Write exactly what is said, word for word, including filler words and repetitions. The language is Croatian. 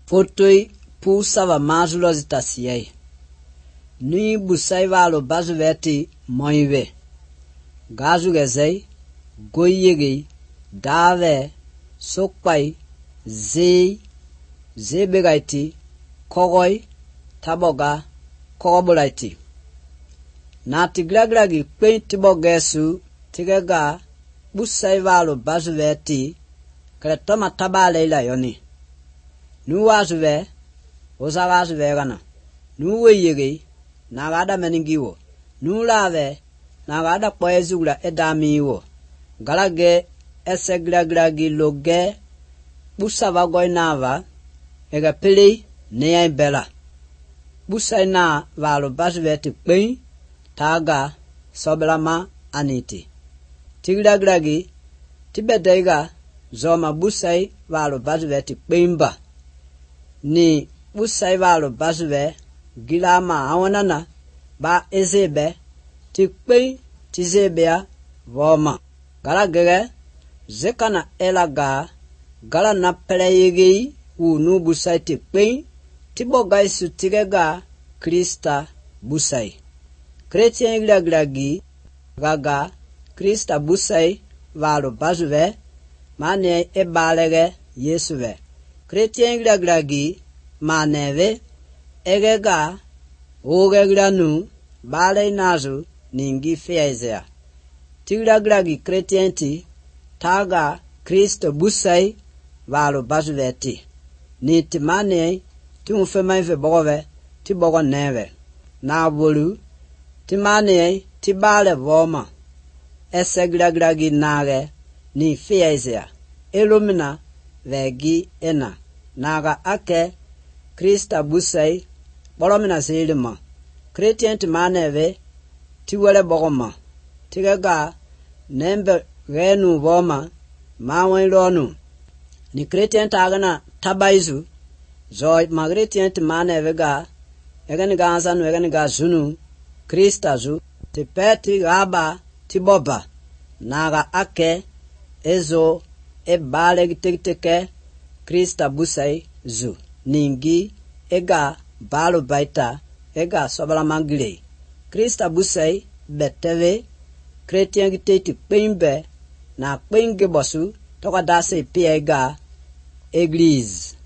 Fotoi pusava mazulozi tasiyei. Nui busai valo bazuveti moive. Gazu gezei, goyegi, dave, sokpai, zei, zebegaiti, kogoi, taboga, kogobolaiti. Na tiglaglagi kwen tibogesu, tigega, busai valo bazuveti, kretoma tabale ila yoni. Nu wazuve, oza wazuve gana. Nu weyegi, nagada meningiwo. Nu lave, nagada poezula edamiwo. Galage, ese glaglagi loge, busa vagoy nava, ega pili, neya bela. Busa na valo bazuveti kwen, taga, soblama, aniti. Tiglaglagi, tibedega, zoma busai valo bazuveti kwenba. Ni busai valo bazuve, gilama awanana, ba ezebe, ti kwen, ti zebea, voma. Gala gege, zekana elaga, gala na peleyegi, u nu busai ti kwen, ti bogay su tigega, Krista busai. Kretien glaglagi, gaga, Krista busai, valo bazuve, mane e balege, Yesuve. Kretien glaglagi, maneve, egega, ogeglanu, bale nazu, ningi feizea. Tiglaglagi kretienti, taga, Kristo busai, valo bazuveti. Ni timane, timufemaive bogove, tibogo neve. Na bolu, timane, tibale voma. Ese glaglagi nage, ni feizea. Elumina, vegi ena. Naga ake, Krista busai, bolomina zilima. Kretienti maneve, tiwele bogoma. Tigega, nembe renu voma, mawen lonu. Ni kretienti agana tabaizu, zoi magretienti maneve ga, egani ganzanu egani ga zunu, Krista zu, tipeti gaba, tiboba. Naga ake, ezo, e bale gitekiteke, Krista busai zu. Ningi, ega, balo baita, ega sobala mangile. Krista busai, beteve, kretien giteti kwenbe, na kwenge bosu, toka dase pia ega, eglise.